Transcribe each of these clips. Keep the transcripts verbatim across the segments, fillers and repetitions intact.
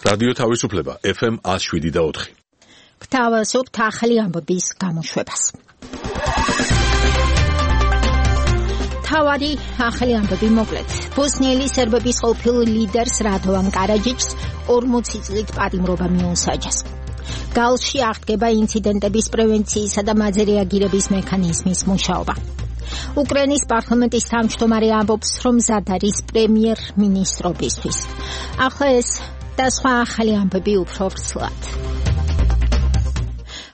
რადიო თავისუფლება ეფ ემ ნული შვიდი და ოთხი. გთავაზობთ ახალი ამბების გამოშვებას. თავარი ახალი ამბები მოკლედ. ბოსნიელი სერბების ყოფილ ლიდერს რადოვან კარაჯიჩს ორმოცი წლით პატიმრობა მიუსაჯეს. გალში აღდგება ინციდენტების პრევენციისა და მაზე რეაგირების მექანიზმის მუშაობა. უკრაინის პარლამენტის თავმჯდომარე ამბობს, რომ მზად არის პრემიერ-მინისტრობისთვის. ახლა ეს და სხვა ახალი ამბები უფრო ვრცლად.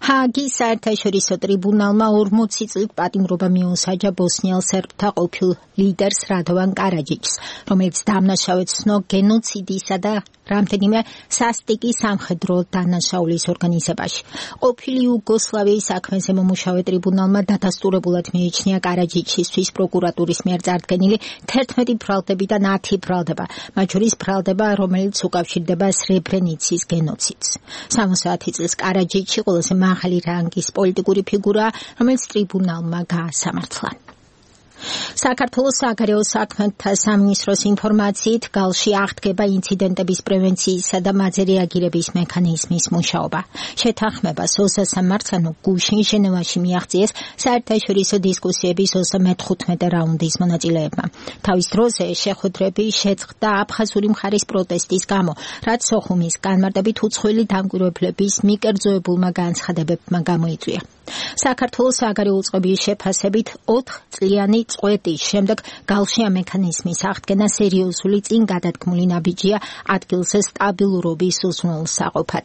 ჰააგის საერთაშორისო ტრიბუნალმა ორმოცი წლით პატიმრობა მიუსაჯა ბოსნიელ სერბთა ყოფილ ლიდერს რადოვან კარაჯიჩს, რომელიც დამნაშავედ ცნო გენოციდისა და რამდენიმე სასტიკი სამხედრო დანაშაულის ორგანიზებაში. ყოფილი იუგოსლავიის საქმეზე მომუშავე ტრიბუნალმა დადასტურებულად მიიჩნია კარაჯიჩისთვის პროკურატურის მიერ წარდგენილი თერთმეტი ბრალდებიდან ათი ბრალდება, მათ შორის ბრალდება, რომელიც უკავშირდება სრებრენიცის გენოციდს. სამოცდაათი წლის კარაჯიჩი ყველაზე მაღალი რანგის პოლიტიკური ფიგურაა, რომელიც ტრიბუნალმა გაასამართლა. საქართველოს საგარეო საქმეთა სამინისტროს ინფორმაციით გალში აღდგება ინციდენტების პრევენციისა და მაზე რეაგირების მექანიზმის მუშაობა. შეთანხმებას ოცდამეცე მარტს გუშინ ჟენევაში მიაღწიეს საერთაშორისო დისკუსიების ოცდამეთხუთმეტე რაუნდის მონაწილეებმა. თავის დროზე შეხვედრები შეწყდა აფხაზური მხარის პროტესტის გამო, რაც სოხუმის განმარტებით უცხოელი დამკვირვებლების მიკერძოებულმა განცხადებებმა გამოიწვია. საქართველოს საგარეო უწყების შეფასებით ოთხ წლიანი წყვეტის შემდეგ გალში ამ მექანიზმის აღდგენა სერიოზული წინ გადადგმული ნაბიჯია ადგილზე სტაბილურობის უზრუნველსაყოფად,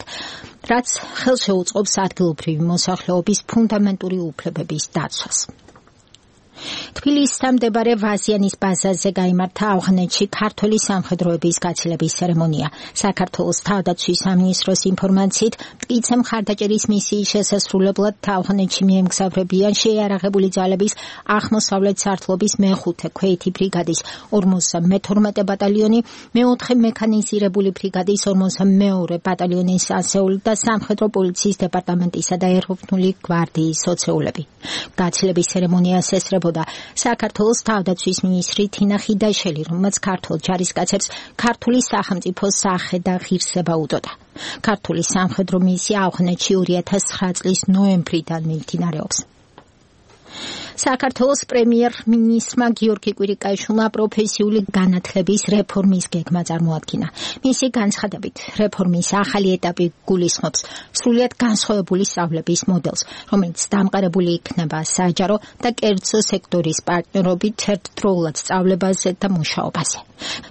რაც ხელშეუწყობს ადგილობრივი მოსახლეობის ფუნდამენტური უფლებების დაცვას. თბილისთან მდებარე ვაზიანის ბაზაზე გაიმართა ავღანეთში ქართული სამხედროების გაცილების ცერემონია. საქართველოს თავდაცვის სამინისტროს ინფორმაციით, მტკიცე მხარდაჭერის მისიის შესასრულებლად ავღანეთში მიემგზავრებიან შეიარაღებული ძალების აღმოსავლეთ სარტყლობის მეხუთე ქვეითი ბრიგადის ორმოცდამეთორმეტე ბატალიონი, მეოთხე მექანიზირებული ბრიგადის ორმოცდამეორე ბატალიონის ასეული და სამხედრო პოლიციის დეპარტამენტისა და ეროვნული გვარდიის ოცეულები. გაცილების ცერემონიას ესწრებოდა საქართველოს თავდაცვის მინისტრი თინა ხიდაშელი, რომელმაც ქართულ ჯარისკაცებს ქართული სახელმწიფოს სახე და ღირსება უდოდა. ქართული სამხედრო მისია ავღანეთში ორი ათას ცხრა წლის ნოემბრიდან მიმდინარეობს. საქართველოს პრემიერ-მინისტრმა გიორგი კვირიკაშვილმა პროფესიული განათლების რეფორმის გეგმა წარმოადგინა. მისი განცხადებით, რეფორმის ახალი ეტაპი გულისხმობს სრულიად განსხვავებული სწავლების მოდელს, რომელიც დამყარებული იქნება საჯარო და კერძო სექტორის პარტნიორობით ერთდროულად სწავლებაზე და მუშაობაზე.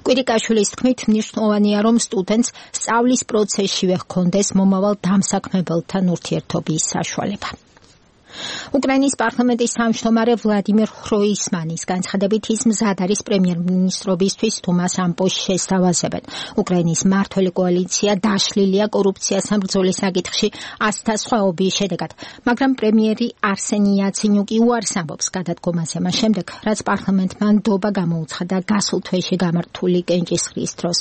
კვირიკაშვილის თქმით, მნიშვნელოვანია, რომ სტუდენტს სწავლის პროცესშივე ჰქონდეს მომავალ დამსაქმებელთან ურთიერთობის საშუალება. უკრაინის პარლამენტის თავმჯდომარე ვლადიმერ ხროისმანის განცხადებით, ის მზად არის პრემიერ-მინისტრობისთვის თუმას ამ პოსტს შესთავაზებენ. უკრაინის მმართველი კოალიცია დაშლილია კორუფციასთან ბრძოლის საკითხში ათასთა სხვაობის შედეგად, მაგრამ პრემიერი არსენი იაცენიუკი უარს ამბობს გადადგომაზე მას შემდეგ, რაც პარლამენტმა ნდობა გამოუცხადა გასულ თვეში გამართული კენჭისყრის დროს.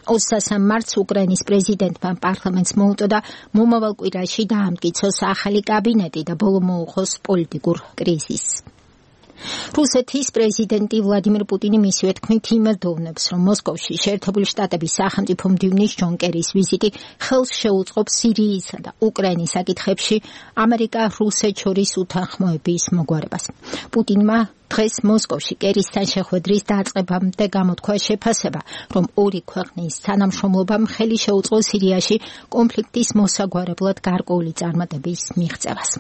ოცდამეცე მარტს უკრაინის პრეზიდენტმა პარლამენტს მოუწოდა მომავალ კვირაში დაამტკიცოს ახალი კაბინეტი და ბოლო მოუხოს პოლიტიკურ კრიზისს. რუსეთის პრეზიდენტი ვლადიმირ პუტინი მისივე თქმით იმედოვნებს, რომ მოსკოვში შეერთებული შტატების სახელმწიფო მდივნის ჯონ კერის ვიზიტი ხელს შეუწყობს სირიისა და უკრაინის საკითხებში ამერიკა-რუსეთს შორის უთანხმოების მოგვარებას. პუტინმა დღეს მოსკოვში კერისთან შეხვედრის დაწყებამდე გამოთქვა შეფასება, რომ ორი ქვეყნის თანამშრომლობამ ხელი შეუწყო სირიაში კონფლიქტის მოსაგვარებლად გარკვეული წარმატების მიღწევას.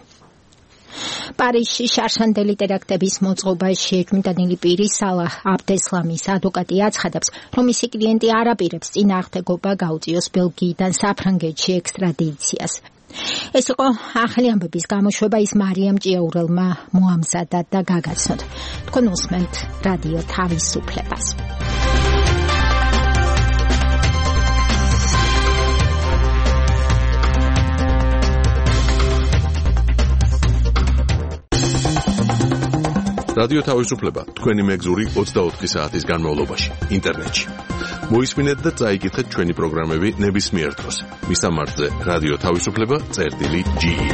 პარიზში შარშანდელი ტერაქტების მოწყობას შეჯმდანილი პირი სალაჰ აბდესლამის ადვოკატი აცხადებს, რომ მისი კლიენტი არ აპირებს წინააღმდეგობა გაუწიოს ბელგიიდან საფრანგეთში ექსტრადიციას. ეს იყო ახალი ამბების გამოშვება, ის მარიამ ჭიაურელმა მოამზადა და გაგაცნოთ. თქვენ უსმენთ რადიო თავისუფლებას. რადიო თავისუფლება თქვენი მეგზური ოცდაოთხი საათის განმავლობაში ინტერნეტში. მოისმინეთ და წაიკითხეთ ჩვენი პროგრამები ნებისმიერ დროს. მისამართზე რადიო თავისუფლება წერტილი ჯი ი.